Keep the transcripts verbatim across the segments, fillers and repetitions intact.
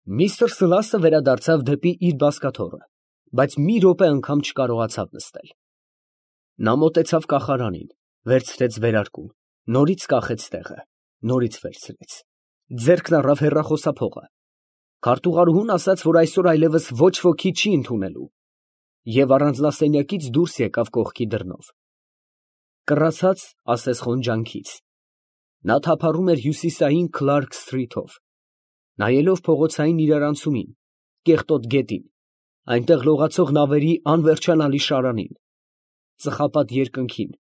Միստր Սլասը վերադարձավ դեպի իր բազկաթոռը, բայց մի րոպե անգամ չկարողացավ նստել. նա մոտեցավ կախարանին, վերցրեց վերարկուն, նորից կախեց տեղը, նորից վերցրեց, ձեռքն առավ հեռախոսափողը, քարտուղարուհուն ասաց, որ այսօր այլևս ոչ ոքի չի ընդունելու, և առանձնասենյակից դուրս եկավ կողքի դռնով, կռացած ասես խոնջանքից, նա թափառում էր հյուսիսային Քլարք սթրիթով, նայելով փողոցային իրարանցումին, կեղտոտ գետին, այնտեղ լողացող նավերի անվերջանալի շարանին, ծխապատ երկնքին,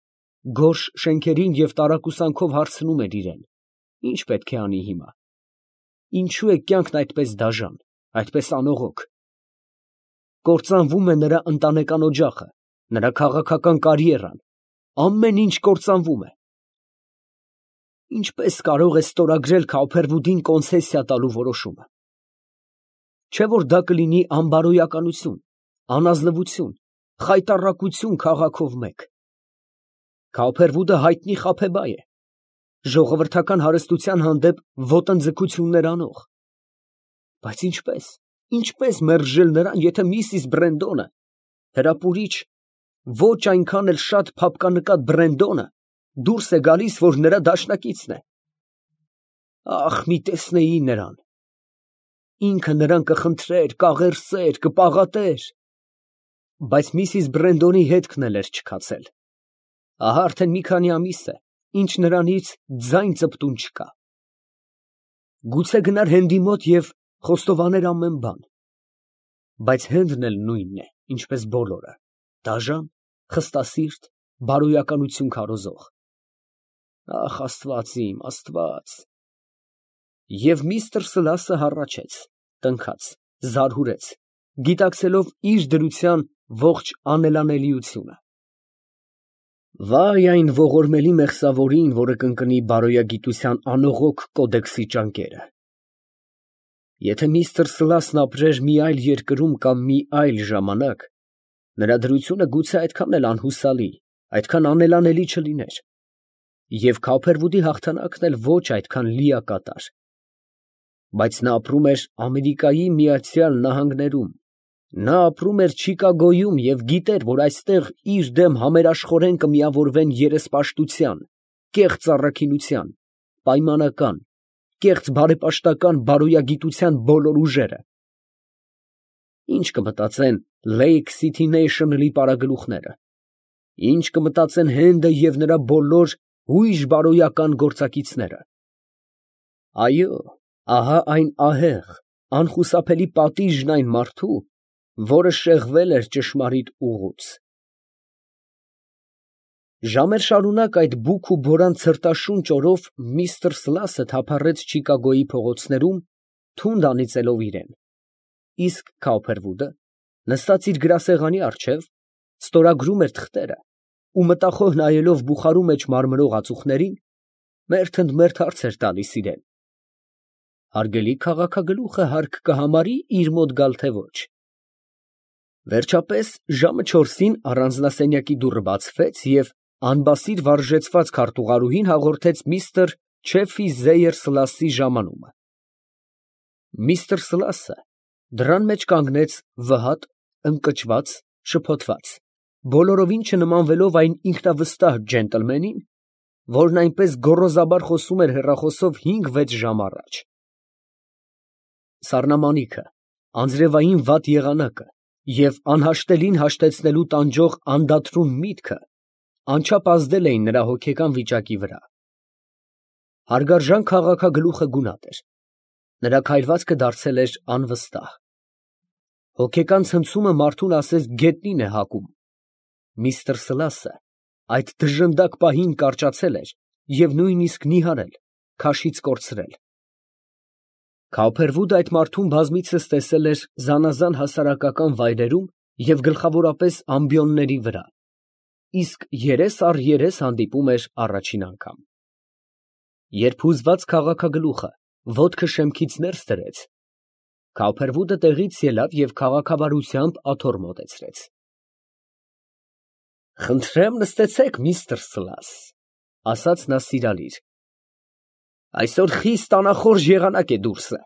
գորշ շենքերին և տարակուսանքով հարցնում էր իրան. ի՞նչ պետք է անի հիմա, ինչո՞ւ է կյանքն այդպես դաժան, այդպես անողոք, կործանվում է նրա ընտանեկան օջախը, նրա քաղաքական կարիերան, ամեն ինչ կործանվում է, ինչպե՞ս կարող է ստորագրել Քաուփերվուդին կոնցեսիա տալու որոշումը, չէ՞ որ դա կլինի անբարոյականություն, անազնվություն, խայտառակություն քաղաքով մեկ, Քաուփերվուդը հայտնի խաբեբայ է, ժողովրդական հարստության հանդեպ ոտնձգություններ անող, բայց ինչպե՞ս, ինչպե՞ս մերժել նրան, եթե միսիս Բրենդոնը, հրապուրիչ, ոչ այնքան էլ շատ փափկանկատ Բրենդոնը դուրս է գալիս, որ նրա դաշնակիցն է, ախ, մի տեսնեի նրան, ինքը նրան կխնդրեր, կաղերսեր, կպաղատեր, բայց միսիս Բրենդոնի հետքն էլ էր չքացել, ահա արդեն մի քանի ամիս է, ինչ նրանից ձայն ծպտուն չկա, գուցե գնար Հենդի մոտ և խոստովաներ ամեն բան, բայց Հենդն էլ նույնն է, ինչպես բոլորը, դաժան, խստասիրտ, բարոյականություն քարոզող, ախ, Աստված իմ, Աստված, և միստր Սլասը հառաչեց, տնքաց, զարհուրեց, գիտակցելով իր դրության ողջ անելանելիությունը, վայ այն ողորմելի մեղսավորին, որը կընկնի բարոյագիտության անողոք կոդեքսի ճանկերը, եթե միստր Սլասն ապրեր մի այլ երկրում կամ մի այլ ժամանակ, նրա դրությունը գուցե այդքան էլ անհուսալի, այդքան անելանելի չլիներ, և Քաուփերվուդի հաղթանակն էլ ոչ այդքան լիակատար, բայց նա ապրում էր Ամերիկայի Միացյալ Նահանգներում, նա ապրում էր Չիկագոյում և գիտեր, որ այստեղ իր դեմ համերաշխորեն կմիավորվեն երեսպաշտության, կեղծ առաքինության, պայմանական, կեղծ բարեպաշտական բարոյագիտության բոլոր ուժերը, ինչ կմտածեն Լեյք Սիթի Նեյշնլի պարագլուխները, ինչ կմտածեն Հենդը և նրա բոլոր հույժ բարոյական գործակիցները, այո, ահա այն ահեղ, անխուսափելի պատիժն այն մարդու, որը շեղվել էր ճշմարիտ ուղուց, ժամեր շարունակ այդ բուք ու բորան ցրտաշունչ օրով միստր Սլասը թափառեց Չիկագոյի փողոցներում, թունդ անիծելով իրան, իսկ Քաուփերվուդը, նստած իր գրասեղանի առջև, ստորագրում էր թղթերը ու մտախոհ նայելով բուխարու մեջ մարմրող ածուխներին, մերթ ընդ մերթ հարց էր տալիս իրան. հարգելի քաղաքագլուխը հարկ կհամարի՞ իր մոտ գալ, թե ոչ, վերջապես ժամը չորսին առանձնասենյակի դուռը բացվեց և անբասիր վարժեցված քարտուղարուհին հաղորդեց միստր Չեֆի Զեյեր Սլասի ժամանումը, միստր Սլասը դռան մեջ կանգնեց վհատ, ընկճված, շփոթված, բոլորովին չնմանվելով այն ինքնավստահ ջենտլմենին, որն այնպես գոռոզաբար խոսում էր հեռախոսով հինգ֊վեց ժամ առաջ, սառնամանիքը, անձրևային վատ եղանակը և անհաշտելին հաշտեցնելու տանջող անդադրուն միտքը անչափ ազդել էին նրա հոգեկան վիճակի վրա, հարգարժան քաղաքագլուխը գունատ էր, նրա քայլվածքը դարձել էր անվստահ, հոգեկան ցնցումը մարդուն ասես գետնին է հակում, միստր Սլասը այդ դժնդակ պահին կարճացել էր և նույնիսկ նիհարել, քաշից կորցրել, Քաուփերվուդը այդ մարդուն բազմիցս տեսել էր զանազան հասարակական վայրերում և գլխավորապես ամբիոնների վրա, իսկ երես առ երես հանդիպում էր առաջին անգամ, երբ հուզված քաղաքագլուխը ոտքը շեմքից ներս դրեց, Քաուփերվուդը տեղից ելավ և քաղաքավարությամբ աթոռ մոտեցրեց. «Խնդրեմ նստեցեք, միստր Սլաս, ֊ ասաց նա սիրալիր, ֊ այսօր խիստ անախորժ եղանակ է դուրսը,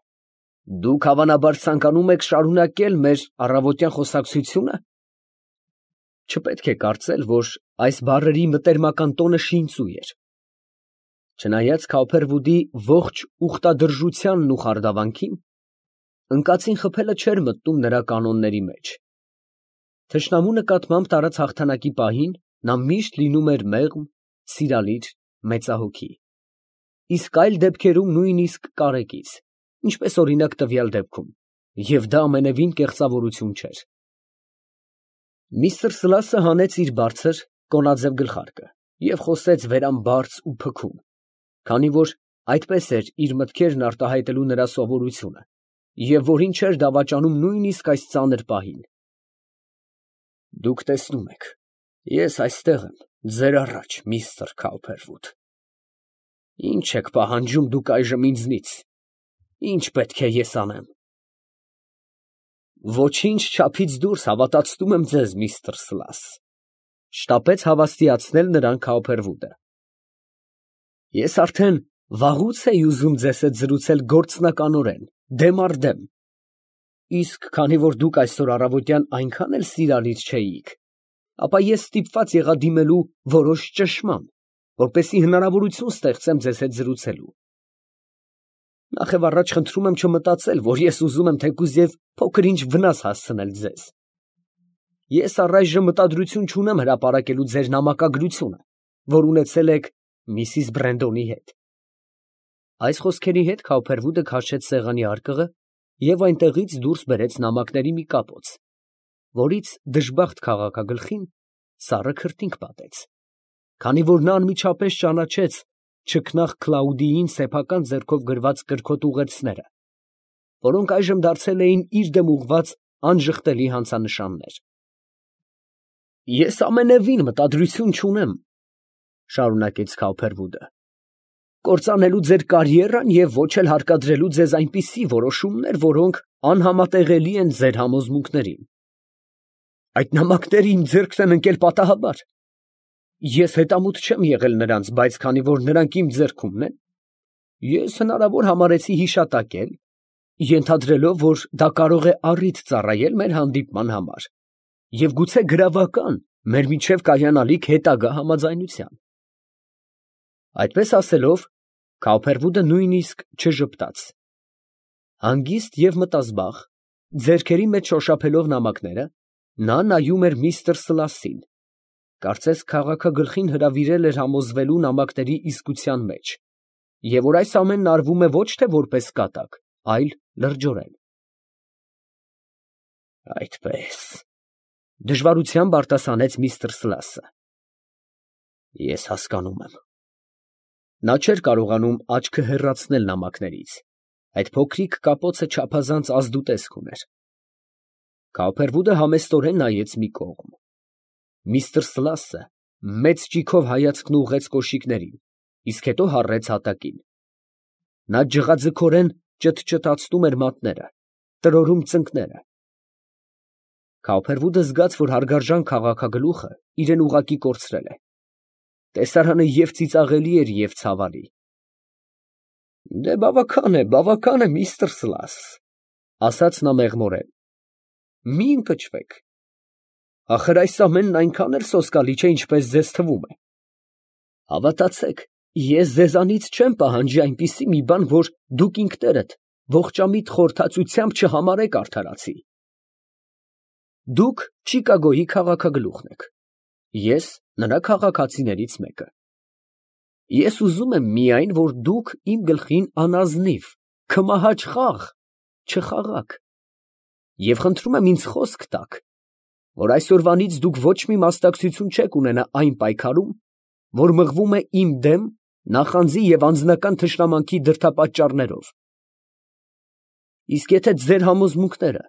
Դուք հավանաբար ցանկանում եք շարունակել մեր առավոտյան խոսակցությունը։ Չպետք է կարծել, որ այս բառերի մտերմական տոնը շինծու էր։ Չնայած Քոփերվուդի ողջ ուխտադրժությանն ու խարդավանքին, ընկածին խփելը չէր մտնում նրա կանոնների մեջ։ Թշնամու նկատմամբ տարած հաղթանակի պահին նա միշտ լինում էր մեղմ, սիրալիր, մեծահոգի, իսկ այլ դեպքերում նույնիսկ կարեկից, ինչպես օրինակ տվյալ դեպքում, և դա ամենևին կեղծավորություն չէր։ Միսթր Սլասը հանեց իր բարձր, կոնաձև գլխարկը և խոսեց վերամբարձ ու փքուն, քանի որ այդպես էր իր մտքերն արտահայտելու նրա սովորությունը, և որին չէր դավաճանում նույնիսկ այս ծանր պահին։ Դուք տեսնում եք, ես այստեղ եմ, ձեր առաջ, միստր Քոփերվուդ։ Ի՞նչ եք պահանջում դուք այժմ ինձնից, ի՞նչ պետք է ես անեմ։ Ոչինչ չափից դուրս հավատացնում եմ ձեզ, միստր Սլաս, շտապեց հավաստիացնել նրան Քոփերվուդը։ Ես արդեն վաղուց էի ուզում ձեզ հետ զրուցել գործնականորեն, դեմ առ դեմ, իսկ քանի որ դուք այսօր առավոտյան այնքան էլ սիրալիր չէիք, ապա ես ստիպված եղա դիմելու որոշ ճնշման, որպեսզի հնարավորություն ստեղծեմ ձեզ հետ զրուցելու։ Նախևառաջ խնդրում եմ չմտածել, որ ես ուզում եմ թեկուզ և փոքր-ինչ վնաս հասցնել ձեզ։ Ես առայժմ մտադրություն չունեմ հրապարակելու ձեր նամակագրությունը, որ ունեցել եք միսիս Բրենդոնի հետ։ Այս խոսքերի հետ Քոփերվուդը քաշեց սեղանի արկղը և այնտեղից դուրս բերեց նամակների մի կապոց, որից դժբախտ քաղաքագլխին սառը քրտինք պատեց, քանի որ նա անմիջապես ճանաչեց չքնաղ Կլաուդիին սեփական ձեռքով գրված կրքոտ ուղերձները, որոնք այժմ դարձել էին իր դեմ ուղղված անժխտելի հանցանշաններ։ Ես ամենևին մտադրություն չունեմ, շարունակեց Քոփերվուդը, կործանելու ձեր կարիերան և ոչ էլ հարկադրելու ձեզ այնպիսի որոշումներ, որոնք անհամատեղելի են ձեր համոզմունքներին։ Այդ նամակները իմ ձեռքն են ընկել պատահաբար։ Ես հետամուտ չեմ եղել նրանց, բայց քանի որ նրանք իմ ձեռքումն են, ես հնարավոր համարեցի հիշատակել, ենթադրելով, որ դա կարող է առիթ ծառայել մեր հանդիպման համար և գուցե գրավական մեր միջև կայանալիք հետագա համաձայնության։ Այդպես ասելով, Քոփերվուդը նույնիսկ չժպտաց։ Հանգիստ և մտազբաղ, ձեռքերի մեջ շոշափելով նամակները, նա նայում էր միստր Սլասին, կարծես քաղաքագլխին հրավիրել էր համոզվելու նամակների իսկության մեջ, և որ այս ամենն արվում է ոչ թե որպես կատակ, այլ լրջորեն։ Այդպես, դժվարությամբ արտասանեց միստր Սլասը։ Ես հասկանում եմ։ Նա չէր կարողանում աչքը հեռացնել նամակներից, այդ փոքրիկ կապոցը չափազանց ազդուտեսկ ուներ։ Քոփերվուդը համեստորեն նայեց մի կողմ։ Միստր Սլասը մեծ ճիգով հայացքն ուղղեց կոշիկներին, իսկ հետո հառեց հատակին։ Նա ջղաձգորեն ճտճտացնում էր մատները, տրորում ծնկները։ Քոփերվուդը զգաց, որ հարգարժան քաղաքագլուխը իրան ուղղակի կորցրել է։ Տեսարանը և ծիծաղելի էր, և ցավալի։ Դե բավական է, բավական է, միստր Սլաս, ասաց նա մեղմորեն։ Մի ընկճվեք։ Ախր այս ամենն այնքան էլ սոսկալի չէ, ինչպես ձեզ թվում է։ Հավատացեք, ես ձեզանից չեմ պահանջի այնպիսի մի բան, որ դուք ինքներդ ողջամիտ խորհրդածությամբ չհամարեք արդարացի։ Դուք Չիկագոյի քաղաքագլուխն եք, ես նրա քաղաքացիներից մեկը։ Ես ուզում եմ միայն, որ դուք իմ գլխին անազնիվ, քմահաճ խաղ չխաղաք, և խնդրում եմ ինձ խոսք տաք, որ այսօրվանից դուք ոչ մի մասնակցություն չեք ունենա այն պայքարում, որ մղվում է իմ դեմ նախանձի և անձնական թշնամանքի դրդապատճառներով։ Իսկ եթե ձեր համոզմունքները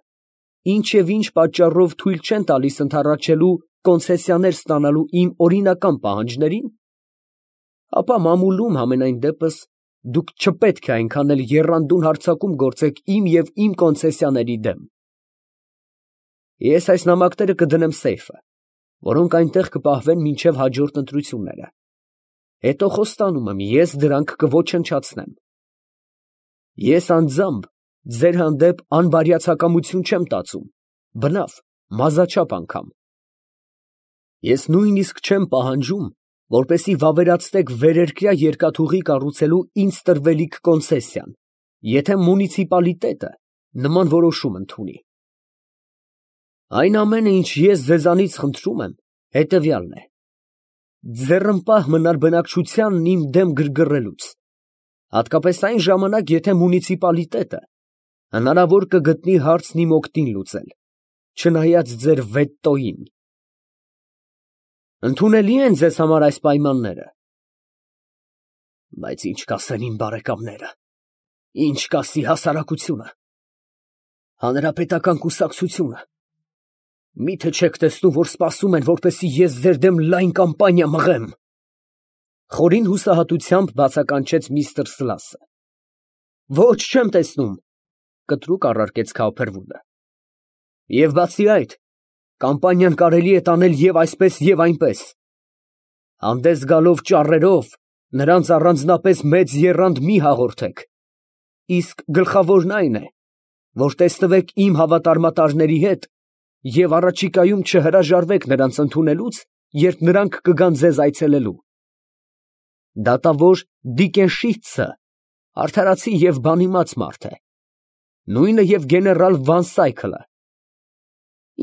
ինչ և ինչ պատճառով թույլ չեն տալիս ընդառաջելու կոնցեսիաներ ստանալու իմ օրինական պահանջներին, ապա մամուլում համենայն դեպս դուք չպետք է այնքան էլ եռանդուն հարձակում գործեք իմ և իմ կոնցեսիաների դեմ։ Ես այս նամակները կդնեմ սեյֆը, որոնք այնտեղ կպահվեն մինչև հաջորդ ընտրությունները։ Հետո խոստանում եմ, ես դրանք կոչնչացնեմ։ Ես անձամբ Ձեր հանդեպ անբարյացակամություն չեմ տածում, բնավ, մազաչափ անգամ։ Ես նույնիսկ չեմ պահանջում, որպեսզի վավերացնեք վերերկրյա երկաթուղի կառուցելու ինձ տրվելիք կոնցեսիան, եթե մունիցիպալիտետը նման որոշում ընդունի։ Այն ամենը, ինչ ես ձեզանից խնդրում եմ, հետևյալն է. ձեռնպահ մնալ բնակչությանն իմ դեմ գրգռելուց, հատկապես այն ժամանակ, եթե մունիցիպալիտետը հնարավոր կգտնի հարցն իմ օգտին լուծել, չնայած ձեր վետոյին։ Ընդունելի են ձեզ համար այս պայմանները։ Բայց ինչ կասեն իմ բարեկամները, ինչ կասի հասարակությունը, հանրապետական կուսակցությունը, միթե չեք տեսնում, որ սպասում են, որպեսզի ես ձեր դեմ լայն կամպանիա մղեմ։ Խորին հուսահատությամբ բացականչեց միստր Սլասը։ Ոչ, չեմ տեսնում, կտրուկ առարկեց Քաուփերվուդը։ Եվ բացի այդ, կամպանիան կարելի է տանել և այսպես, և այնպես։ Հանդես գալով ճառերով, նրանց առանձնապես մեծ եռանդ մի հաղորդեք, իսկ գլխավորն այն է, որ տեսնվեք իմ հավատարմատարների հետ և առաջիկայում չհրաժարվեք նրանց ընդունելուց, երբ նրանք կգան ձեզ այցելելու։ Դատավոր Դիկենշիցցը արդարացի և բանիմաց մարդ է, նույնը և գեներալ Վան Սայքլը։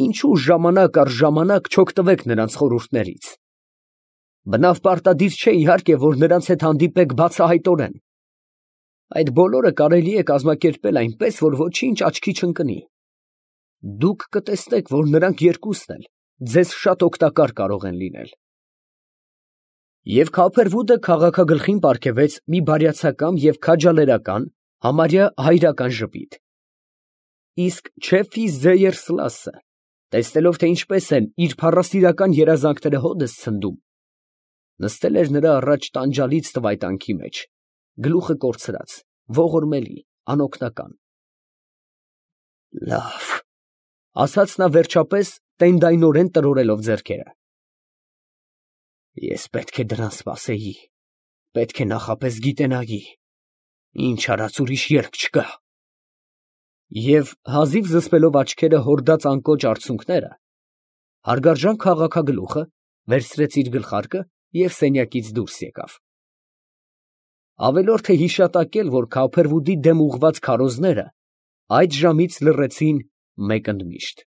Ինչու ժամանակ առ ժամանակ չօգտվեք նրանց խորհուրդներից։ Բնավ պարտադիր չէ, իհարկե, որ նրանց հետ հանդիպեք բացահայտորեն։ Այդ բոլորը կարելի է կազմակերպել այնպես, որ ոչինչ աչքի չընկնի։ Դուք կտեսնեք, որ նրանք երկուսն էլ ձեզ շատ օգտակար կարող են լինել։ Եվ Քաուփերվուդը քաղաքագլխին պարգևեց մի բարյացակամ և քաջալերական, համարյա հայրական ժպիտ։ Իսկ Չեֆի Զեյեր Սլասը, տեսնելով, թե ինչպես են իր փառասիրական երազանքները հօդս ցնդում, նստել էր նրա առաջ տանջալից տվայտանքի մեջ, գլուխը կորցրած, ողորմելի, անօգնական։ Լավ, ասաց նա վերջապես, տենդայնորեն տրորելով ձեռքերը, ես պետք է դրան սպասեի, պետք է նախապես գիտենայի, ինչ արած ուրիշ ելք չկա։ Եվ հազիվ զսպելով աչքերը հորդած անկոչ արցունքները, հարգարժան քաղաքագլուխը վերցրեց իր գլխարկը և սենյակից դուրս եկավ։ Ավելորդ է հիշատակել, որ Քաուփերվուդի դեմ ուղղված քարոզները այդ ժամից լռեցին մեկ ընդմիշտ։